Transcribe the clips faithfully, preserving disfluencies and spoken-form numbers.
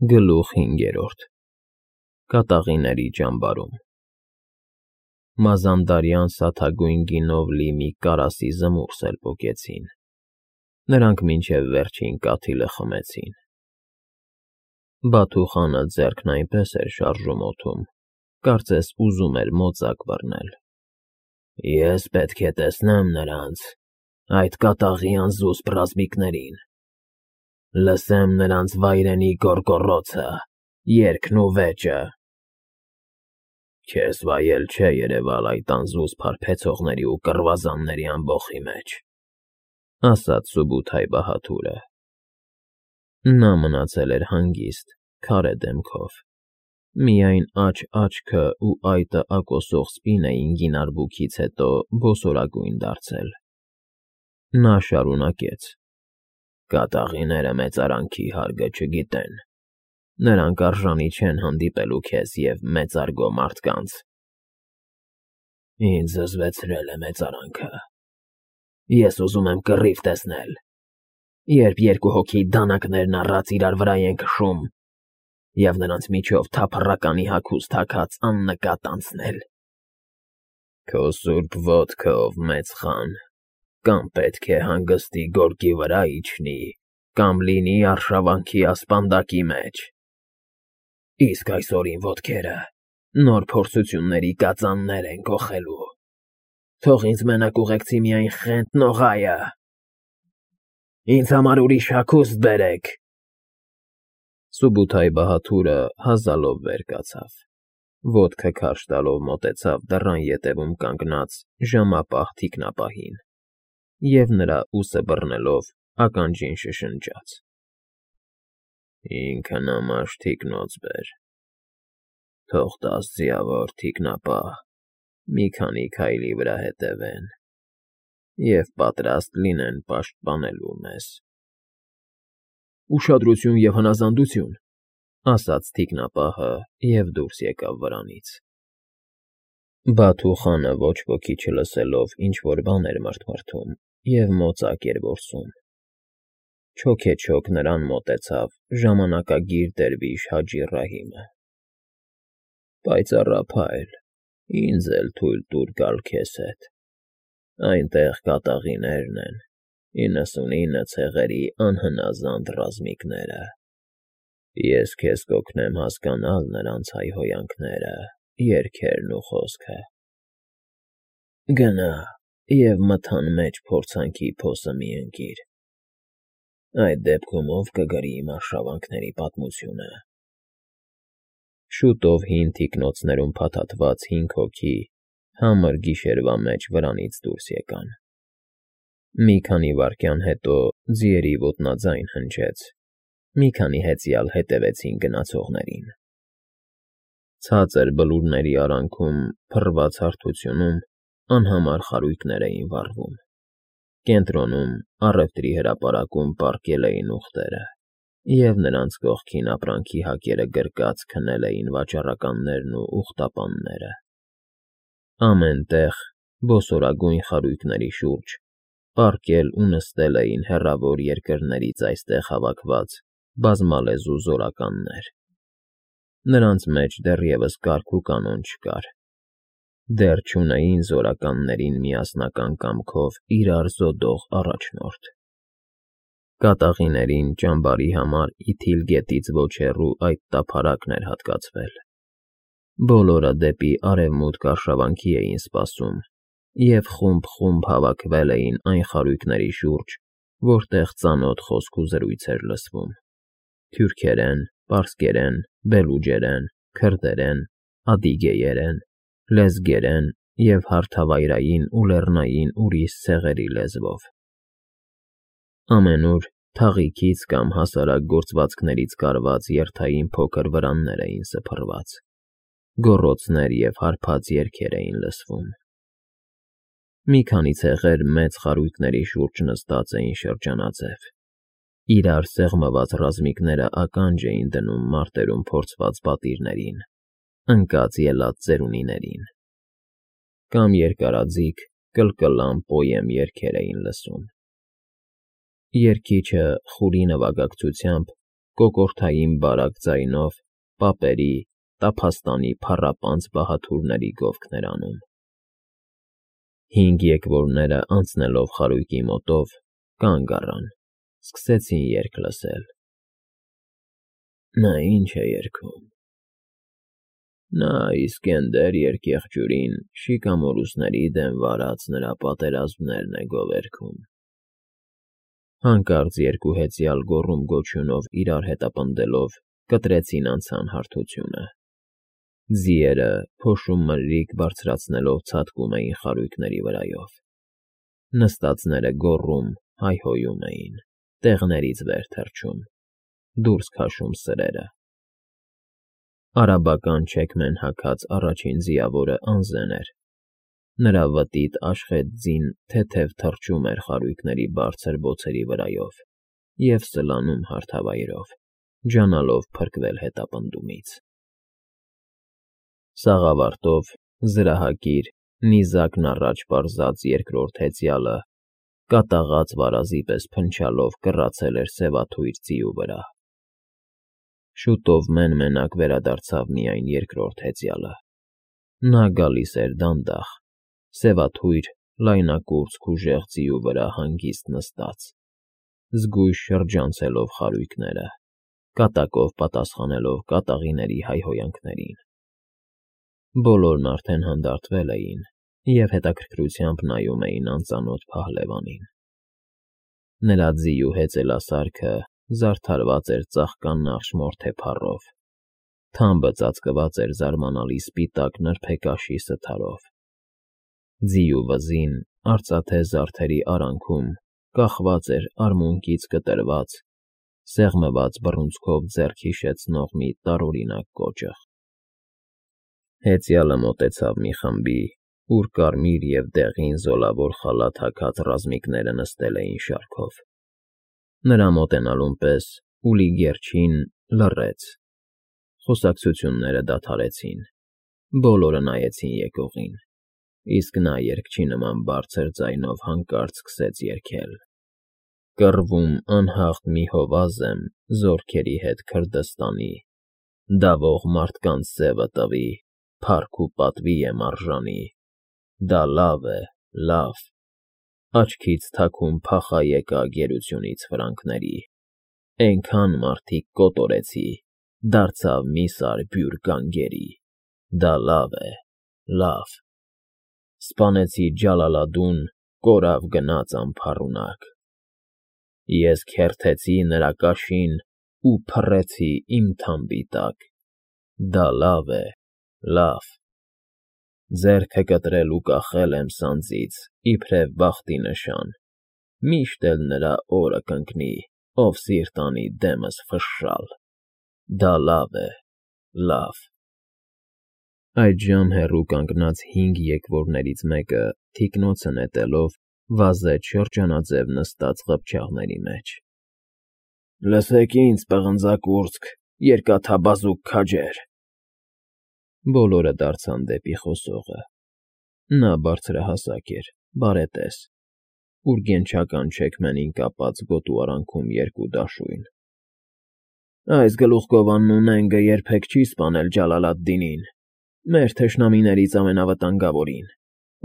Գլուխ հինգերորդ Կատաղիների ճամբարում Մազանդարյան սաթագույն գինով լի մի կարասի զմուրս էլ պոկեցին, նրանք մինչև վերջին կաթիլը խմեցին։ Բաթու խանը ձեռքն այնպես էր շարժում օդում, կարծես ուզում էր մոծակ բռնել։ Ես պետք է տեսնեմ նրանց, այդ կատաղի անզուսպ ռազմիկներին, լսեմ նրանց վայրենի գոռգոռոցը, երգն ու վեճը։ Քեզ վայել չէ երևալ այդ անզուսպ հարբեցողների ու կռվազանների ամբոխի մեջ, ասաց Սուբութայ-Բահադուրը։ Նա մնացել էր հանգիստ, քարե դեմքով, միայն աջ աչքը ու այտը ակոսող սպին էին գին արբուքից հետո բոսորագույն դարձել։ Նա շարունակեց. Կատաղիները մեծարանքի հարգը չգիտեն, նրանք արժանի չեն հանդիպելու քեզ և մեծարգո մարդկանց։ Ինձ զզվեցրել է մեծարանքը, ես ուզում եմ կռիվ տեսնել, երբ երկու հոգի դանակներն առած իրար վրա են քշում, և նրանց միջով թափառականի հագուստ հագած աննկատ անցնել։ Քո սուրբ ոտքով, մեծ խան, կամ պետք է հանգստի գորգի վրա իջնի, կամ լինի արշավանքի ասպանդակի մեջ։ Իսկ այսօր իմ ոտքերը նոր փորձությունների կածաններ են կոխելու, թող ինձ մենակ ուղեկցի միայն Խենթ Նողայը։ Ինձ համար ուրիշ հագուստ բերեք։ Սուբութայ-Բահադուրը հազալով վեր կացավ, ոտքը քարշ տալով մոտեցավ դռան ետևում կանգնած ժամապահ թիկնապահին և նրա ուսը բռնելով ականջին շշնջաց. Ինքնամաշ թիկնոց բեր, թող տաս ձիավոր թիկնապահ մի քանի քայլի վրա հետևեն և պատրաստ լինեն պաշտպանելու մեզ։ Ուշադրություն և հնազանդություն, ասաց թիկնապահը և դուրս եկավ վրանից։ Բաթու խանը ոչ ոքի չլսելով ինչ֊որ բան էր մռթմռթում և մոծակ էր որսում։ Չոքեչոք նրան մոտեցավ ժամանակագիր դերվիշ Հաջի Ռահիմը։ Պայծառափայլ, ինձ էլ թույլ տուր գալ քեզ հետ, այնտեղ կատաղիներն են, իննսունինը ցեղերի անհնազանդ ռազմիկները։ Ես քեզ կօգնեմ հասկանալ նրանց հայհոյանքները, երգերն ու խոսքը։ Գնա և մթան մեջ փորձանքի փոսը մի ընկիր, այդ դեպքում ով կգրի իմ արշավանքների պատմությունը։ Շուտով հին թիկնոցներում փաթաթված հինգ հոգի համր գիշերվա մեջ վրանից դուրս եկան։ Մի քանի վայրկյան հետո ձիերի ոտնաձայն հնչեց, մի քանի հեծյալ հետևեցին գնացողներին։ Ցածր բլուրների արանքում փռված հարթությունում անհամար խարույկներ էին վառվում, կենտրոնում առևտրի հրապարակում պառկել էին ուղտերը, և նրանց կողքին ապրանքի հակերը գրկած քնել էին վաճառականներն ու ուղտապանները։ Ամեն տեղ, բոսորագույն խարույկների շուրջ, պառկել ու նստել էին հեռավոր երկրներից այստեղ հավաքված բազմալեզու զորականներ։ Նրանց մեջ դեռևս կարգ ու կանոն չկար, դեռ չունեին զորականներին միասնական կամքով իրար զոդող առաջնորդ։ Կատաղիներին ճամբարի համար Իթիլ գետից ոչ հեռու այդ տափարակն էր հատկացվել։ Բոլորը դեպի արևմուտք արշավանքի էին սպասում և խումբ֊խումբ հավաքվել էին այն խարույկների շուրջ, որտեղ ծանոթ խոսք ու զրույց էր լսվում՝ թյուրքերեն, պարսկերեն, բելուջերեն, քրդերեն, ադիգեերեն, լեզգերեն և հարթավայրային ու լեռնային ուրիշ ցեղերի լեզվով։ Ամենուր թաղիքից կամ հասարակ գործվածքներից կարված երթային փոքր վրաններ էին սփռված, գոռոցներ և հարբած երգեր էին լսվում։ Մի քանի ցեղեր մեծ խարույկների շուրջ նստած էին շրջանաձև, իրար սեղմված ռազմիկները ականջ էին դնում մարտերում փորձված պատիրներին, ընկած ելած ծերունիներին, կամ երկարաձիգ, կլկլան պոեմ երգեր էին լսում։ Երգիչը խուրի նվագակցությամբ կոկորդային բարակ ձայնով պապերի, տափաստանի փառապանծ բահաթուրների գովքներ անում։ Հինգ եկվորները անցնելով խարույկի մոտով կանգ առան, սկսեցին երգ լսել։ Նա ի՞նչ է երգում։ Նա Իսկենդեր երկեղջյուրին շիկամորուսների դեմ վարած նրա պատերազմներն է գովերգում։ Հանկարծ երկու հեծյալ գոռում-գոչյունով իրար հետապնդելով կտրեցին անցան հարթությունը։ Ձիերը փոշու մրրիկ բարձրացնելով ցատկում էին խարույկների վրայով։ Նստածները գոռում, հայհոյում էին, տեղներից վեր թռչում, դուրս քաշում սրերը։ Արաբական չեքմեն հագած առաջին ձիավորը Անզեն էր։ Նրա վտիտ աշխետ ձին թեթև թռչում էր խարույկների բարձր բոցերի վրայով և սլանում հարթավայրով, ջանալով փրկվել հետապնդումից։ Սաղավարտով զրահակիր, նիզակն առաջ պարզած երկրորդ հեծյալը կատաղած վարազի պես փնչալով կռացել էր սևաթույր ձիու վրա։ Շուտով մեն֊մենակ վերադարձավ միայն երկրորդ հեծյալը։ Նա գալիս էր դանդաղ, սևաթույր, լայնակուրծք ուժեղ ձիու վրա հանգիստ նստած, զգույշ շրջանցելով խարույկները, կատակով պատասխանելով կատաղիների հայհոյանքներին։ Բոլորն արդեն հանդարտվել էին և հետաքրքրությամբ նայում էին անծանոթ փահլևանին։ Նրա ձիու հեծելասարքը զարդարված էր ծաղկանախշ մորթե փառով, թամբը ծածկված էր զարմանալի սպիտակ նրբեկաշի սթարով։ Ձիու վզին արծաթե զարդերի արանքում կախված էր արմունկից կտրված, սեղմված բռունցքով ձեռք հիշեցնող մի տարօրինակ կոճղ։ Հեծյալը մոտեցավ մի խմբի, ուր կարմիր և դեղին զոլավոր խալաթ հագած ռազմիկները նստել էին շարքով։ Նրա մոտենալուն պես ուլի գերջին լռեց։ Խոսակցությունները դադարեցին, բոլորը նայեցին եկողին, իսկ նա երգչի նման բարձր ձայնով հանկարծ սկսեց երգել. Կռվում անհաղթ մի հովազ եմ զորքերի հետ Քրդստանի, դավող մարդկանց սևը տվի, փառք ու պատվի եմ արժանի, դա լավ է, լավ, աչքից թաքուն փախա եկա գերությունից ֆրանկների, էնքան մարդիկ կոտորեցի, դարձավ մի սար բյուր գանգերի, դա լավ է, լավ, սպանեցի Ջալալադդուն, կորավ գնաց անփառունակ, ես քերթեցի նրա կաշին ու փռեցի իմ թամբի տակ, դա լավ է, լավ, ձեռքը կտրել ու կախել եմ սանձից, իբրև բախտի նշան, միշտ էլ նրա օրը կընկնի, ով սիրտ անի դեմս ֆշշալ, դա լավ է, լավ։ Այդժամ հեռու կանգնած հինգ եկվորներից մեկը, թիկնոցը նետելով, վազեց շրջանաձև նստած ղփչաղների մեջ։ Լսեք ինձ, պղնձագուրծք, երկաթաբազուկ քաջեր։ Բոլորը դարձան դեպի խոսողը։ Նա բարձրահասակ էր, բարետես, ուրգենչական չեքմենին կապած գոտու արանքում երկու դաշույն։ Այս գլուխգովանն ունենգը երբեք չի սպանել Ջալալադդինին, մեր թշնամիներից ամենավտանգավորին,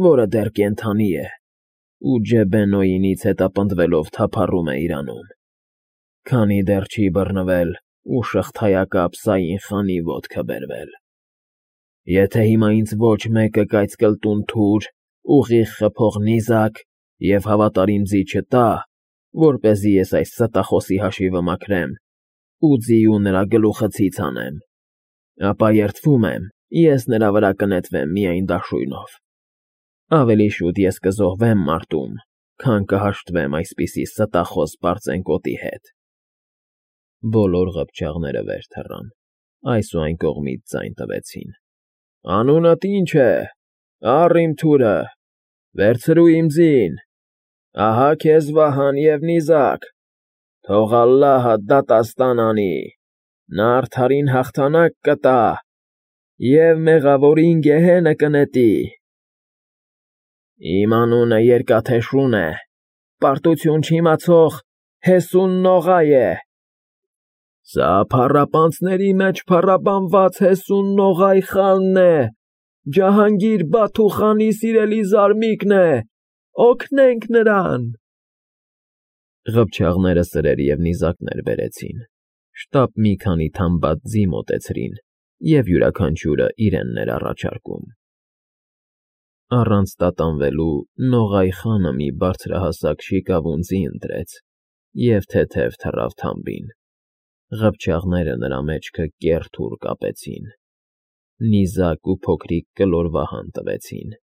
որը դեռ կենդանի է, ու Ջեբեն֊Նոյինից հետապնդվելով թափառում է իրանում, քանի դեռ չի բռնվել ու շղթայակապ Սային խանի ոտքը բերվել։ Եթե հիմա ինձ ոչ մեկը կայծկլտուն թուր, ուղիղ խփող նիզակ և հավատարիմ ձի չտա, որպեսզի ես այս ստախոսի հաշիվը մաքրեմ ու ձիու նրա գլուխը ցից հանեմ, ապա երդվում եմ, ես նրա վրա կնետվեմ միայն դաշույնով։ Ավելի շուտ ես կզոհվեմ մարտում, քան կհաշտվեմ այսպիսի ստախոս պարծենկոտի հետ։ Բոլոր ղփչաղները վեր թռան, այս ու այն կողմից ձայն տվեցին։ Անունդ ի՞նչ է, առ իմ թուրը, վերցրու իմ ձին, ահա քեզ վահան և նիզակ, թող ալլահը դատաստան անի, նա արդարին հաղթանակ կտա և մեղավորին գեհենը կնետի։ Իմ անունը Երկաթե Շուն է, պարտություն չիմացող Հեսուն Նողայ է։ Սա փառապանցների մեջ փառապանված Հեսուն Նողայ խանն է, Ջահանգիր Բաթու խանի սիրելի զարմիկն է, օգնենք նրան։ Ղփչաղները սրեր և նիզակներ բերեցին, շտապ մի քանի թամբատ ձի մոտեցրին և յուրաքանչյուրը իրենն էր առաջարկում։ Առանց տատանվելու Նողայ խանը մի բարձրահասակ շիկավուն ձի ընտրեց և թեթև թռավ թամբին։ Ղփչաղները նրա մեջքը կեռ֊թուռ կապեցին, նիզակ ու փոքրիկ կլոր վահան տվեցին։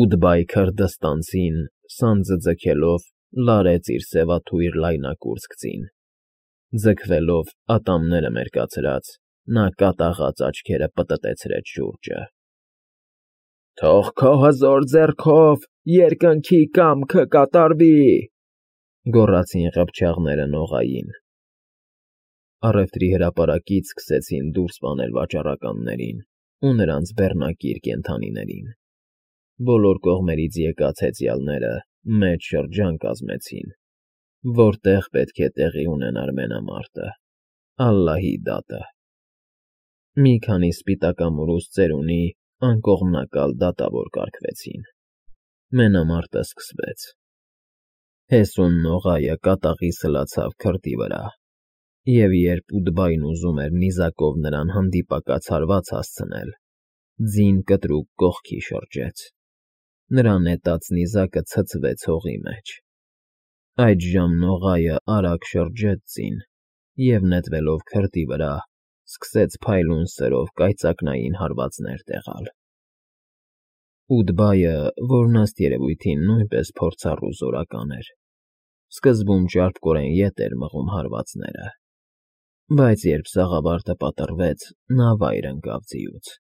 Ուդբայ Քրդստանցին, սանձը ձգելով, լարեց իր սևաթույր լայնակուրծք ձին։ Ձգվելով, ատամները մերկացրած, նա կատաղած աչքերը պտտեցրեց շուրջը։ Թող քո հզոր ձեռքով երկնքի կամքը կատարվի, գոռացին ղփչաղները Նողային։ Առևտրի հրապարակից սկսեցին դուրս բանել վաճառականներին ու նրանց բեռնակիր կենդանիներին։ Բոլոր կողմերից եկած հեծյալները մեծ շրջան կազմեցին, որտեղ պետք է տեղի ունենար մենամարտը, Ալլահի դատը։ Մի քանի սպիտակամորուս ծերունի անկողմնակալ դատավոր կարգվեցին։ Մենամարտը սկսվեց։ Հեսուն Նողայը կատաղի սլացավ քրդի վրա, և երբ Ուդբայն ուզում էր նիզակով նրան հանդիպակաց հարված հասցնել, ձին կտրուկ կողքի շրջեց։ Նրա նետած նիզակը ցցվեց հողի մեջ։ Այդժամ Նողայը արագ շրջեց ձին և, նետվելով քրդի վրա, սկսեց փայլուն սրով կայծակնային հարվածներ տեղալ։ Ուդբայը, որն ըստ երևույթին նույնպես փորձառու զորական էր, սկզբում ճարպկորեն ետ էր մղում հարվածները, բայց երբ սաղավարտը պատռվեց, նա վայր ընկավ ձիուց։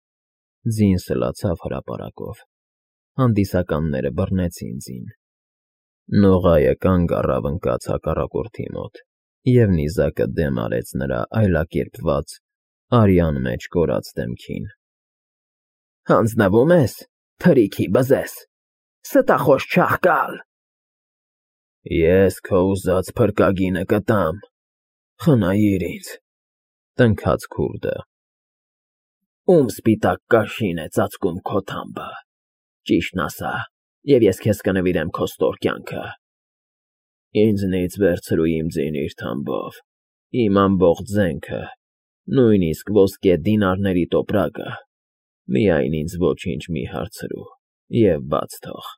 Ձին սլացավ հրապարակով։ Հանդիսականները բռնեցին ձին։ Նողայը կանգ առավ ընկած հակառակորդի մոտ և նիզակը դեմ արեց նրա այլակերպված, արյան մեջ կորած դեմքին։ Հանձնվո՞ւմ ես, թրիքի բզեզ, ստախոս չաղկալ։ Ես քո ուզած փրկագինը կտամ, խնայիր ինձ, տնքաց քուրդը։ Ում սպիտակ կաշին է ծածկում քո թամբը, ճիշտն ասա, և ես քեզ կնվիրեմ քո ստոր կյանքը։ Ինձնից վերցրու իմ ձին իր թամբով, իմ ամբողջ զենքը, նույնիսկ ոսկե դինարների տոպրակը, միայն ինձ ոչինչ մի հարցրու և բաց թող։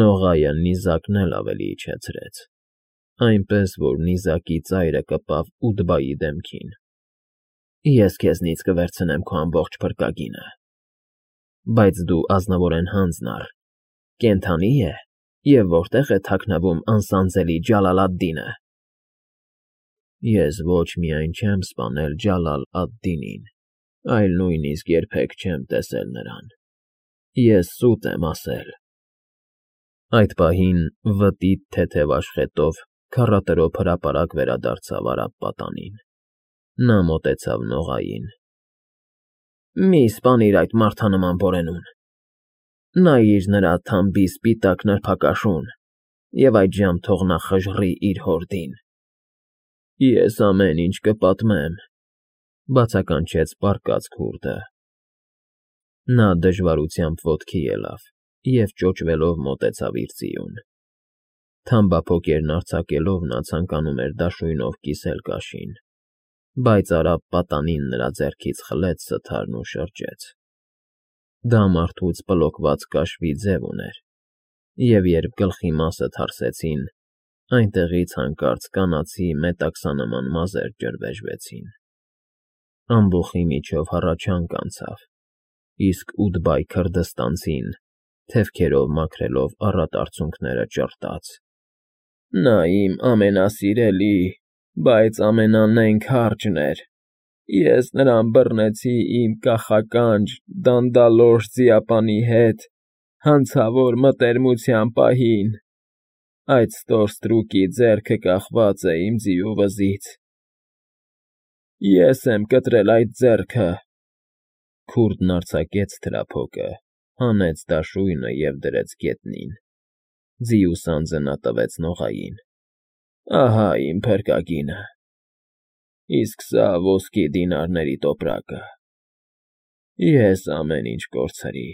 Նողայը նիզակն էլ ավելի իջեցրեց, այնպես որ նիզակի ծայրը կպավ Ուդբայի դեմքին։ Ես քեզնից կվերցնեմ քո ամբողջ փրկագինը։ Բայց դու ազնվորեն հանձն առ, կենդանի՞ է և որտե՞ղ է թաքնվում անսանձելի Ջալալ֊ադ֊Դինը։ Ես ոչ միայն չեմ սպանել Ջալալ ադ֊Դինին, այլ նույնիսկ երբեք չեմ տեսել նրան։ Ես սուտ եմ ասել։ Այդ պահին վտիտ թեթև աշխատով քառատրոփ հրապարակ վերադարձավ արագ պատանին։ Նա մոտեցավ Նողային։ Մի սպանիր այդ մարդանման որենուն։ Նայիր նրա թամբի սպիտակ նրբակաշուն և այդժամ թող նա խժռի իր հորդին։ Ես ամեն ինչ կպատմեմ, բացականչեց պառկած քուրդը։ Նա դժվարությամբ ոտքի ելավ և ճոճվելով մոտեցավ իր ձիուն։ Թամբափոկերն արձակելով նա ցանկանում էր դաշույնով կիսել կաշին, բայց արավ պատանին նրա ձեռքից խլեց սթարն ու շրջեց։ Դա մարդուց պլոկված կաշվի ձև ուներ, և երբ գլխի մասը թարսեցին, այնտեղից հանկարծ կանացի մետաքսանման մազեր ջրվեժվեցին։ Ամբոխի միջով հառաչանք անցավ, իսկ Ուդբայ Քրդստանցին, թևքերով մաքրելով առատ արցունքները, ճռտաց. Նա իմ ամենասիրելի, բայց ամենանենգ հարճն էր։ Ես նրան բռնեցի իմ կախականջ, դանդալոշ ձիապանի հետ հանցավոր մտերմության պահին։ Այդ ստոր ստրուկի ձեռքը կախված է իմ ձիու վզից։ Ես եմ կտրել այդ ձեռքը։ Քուրդն արձակեց թրափոկը, հանեց դաշույնը և դրեց գետնին։ Ձիու սանձը նա տվեց Նողային։ Ահա իմ փրկագինը, իսկ սա ոսկի դինարների տոպրակը, ես ամեն ինչ կորցրի,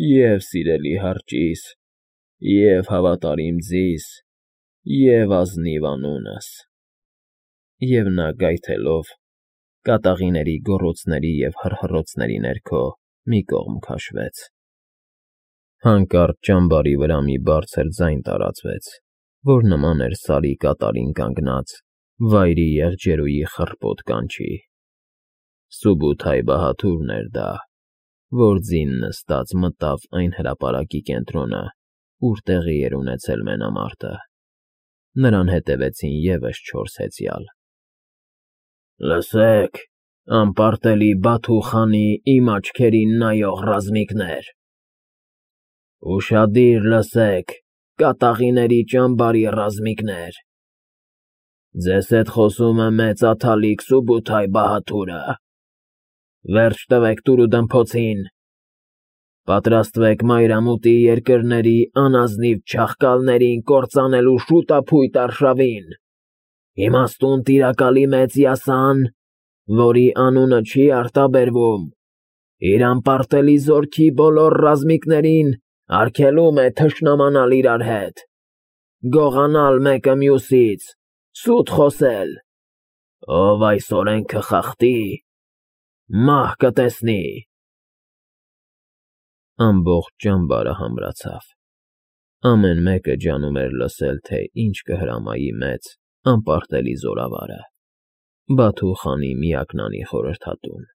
և սիրելի հարճիս, և հավատարիմ ձիս, և ազնիվ անունս, և նա գայթելով, կատաղիների գոռոցների և հռհռոցների ներքո մի կողմ քաշվեց. հանկարծ ճամբարի վրա մի բարձր ձայն տարածվեց, որ նման էր Սարի կատարին կանգնած վայրի եղջերուի խռպոտ կանչի. Սուբութայ բահադուրն էր դա, որ ձին նստած մտավ այն հրապարակի կենտրոնը, ուր տեղի էր ունեցել մենամարտը. նրան հետևեցին ևս չորս հեծյալ. Լսեք, անպարտելի Բաթու խանի իմ աչքերին նայող ռազմիկներ, ուշադիր լսեք, կատաղիների ճամբարի ռազմիկներ, ձեզ հետ խոսում է մեծ աթալիկ Սուբութայ Բահադուրը, վերջ տվեք տուրուդմփոցին, պատրաստվեք մայրամուտի երկրների անազնիվ չախկալներին կործանելու շուտափույթ արշավին, իմաստուն տիրակալի մեծ յասան, որի անունը չի արտաբերվում, իր անպարտելի զորքի բոլոր ռազմիկներին արգելում է թշնամանալ իրար հետ, գողանալ մեկը մյուսից, սուտ խոսել, ով այս օրենքը խախտի, մահ կտեսնի։ Ամբողջ ճամբարը համրացավ, ամեն մեկը ջանում էր լսել, թե ինչ կհրամայի մեծ, անպարտելի զորավարը, Բաթու խանի միակնանի խորհրդատուն.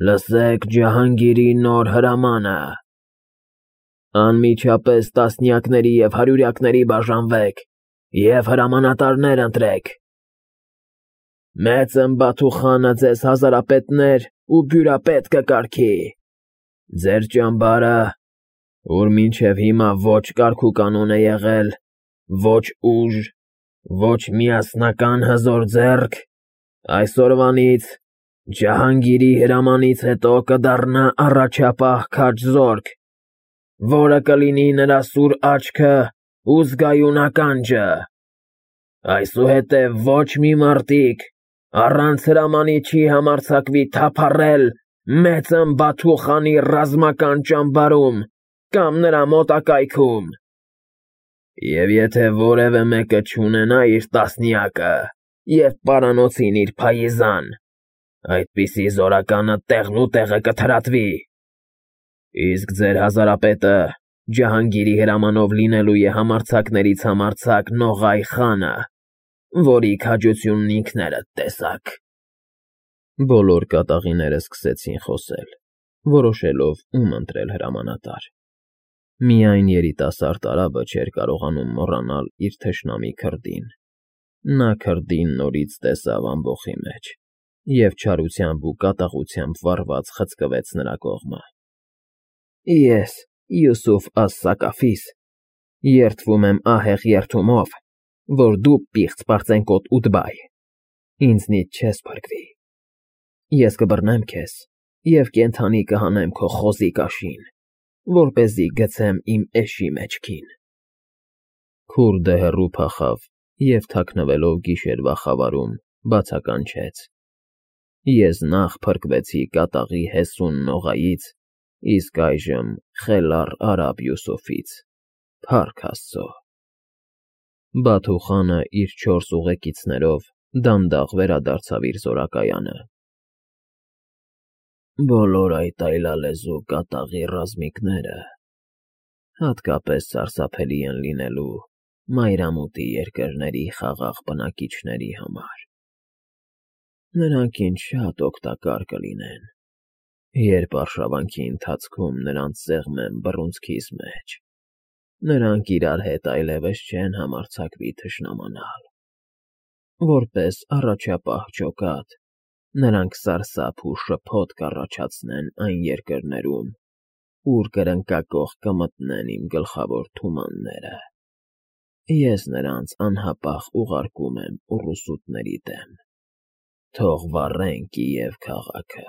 Լսեք Ջահանգիրի նոր հրամանը, անմիջապես տասնյակների և հարյուրյակների բաժանվեք և հրամանատարներ ընտրեք, մեծն Բաթու խանը ձեզ հազարապետներ ու բյուրապետ կկարգի, ձեր ճամբարը, ուր մինչև հիմա ոչ կարգ ու կանոն է եղել, ոչ ուժ, ոչ միասնական հզոր ձեռք, այսօրվանից Ջահանգիրի հրամանից հետո կդառնա առաջապահ քաջ զորք, որը կլինի նրա սուր աչքը ու զգայուն ականջը, այսուհետև ոչ մի մարտիկ առանց հրամանի չի համարձակվի թափառել մեծն Բաթու խանի ռազմական ճամբարում կամ նրա մոտակայքում, և եթե որևէ մեկը չունենա իր տասնյակը և պարանոցին իր փայիզան, այդպիսի զորականը տեղնուտեղը կթրատվի, իսկ ձեր հազարապետը Ջահանգիրի հրամանով լինելու է համարձակներից համարձակ Նողայ խանը, որի քաջությունն ինքներդ տեսաք։ Բոլոր կատաղիները սկսեցին խոսել, որոշելով ում ընտրել հրամանատար, միայն երիտասարդ արաբը չէր կարողանում մոռանալ իր թշնամի քրդին, նա քրդին նորից տեսավ ամբոխի մեջ և չարությամբ ու կատաղությամբ վառված խցկվեց նրա կողմը. Ես, Յուսուֆ աս֊Սակաֆիս, երդվում եմ ահեղ երդումով, որ դու պիղծ պարծենկոտ Ուդբայ, ինձնից չես փրկվի, ես կբռնեմ քեզ և կենդանի կհանեմ քո խոզի կաշին, որպեսզի գցեմ իմ էշի մեջքին։ Քուրդը հեռու փախավ և թաքնվելով գիշերվա խավարում բացականչեց. Ես նախ փրկվեցի կատաղի հեսուն Նողայից, իսկ այժմ խելառ արաբ Յուսուֆից, փառք Աստծո։ Բաթու խանը իր չորս ուղեկիցներով դանդաղ վերադարձավ իր զորակայանը. Բոլոր այդ այլալեզու կատաղի ռազմիկները հատկապես սարսափելի են լինելու մայրամուտի երկրների խաղաղ բնակիչների համար, նրանք ինձ շատ օգտակար կլինեն, երբ արշավանքի ընթացքում նրանց սեղմեմ բռունցքիս մեջ, նրանք իրար հետ այլևս չեն համարձակվի թշնամանալ, որպես առաջապահ ջոկատ, նրանք սարսափ ու շփոթ կառաջացնեն այն երկրներում, ուր կրնկակոխ կմտնեն իմ գլխավոր թումանները, ես նրանց անհապաղ ուղարկում եմ ուռուսուտների դեմ, թող վառեն Կիև քաղաքը։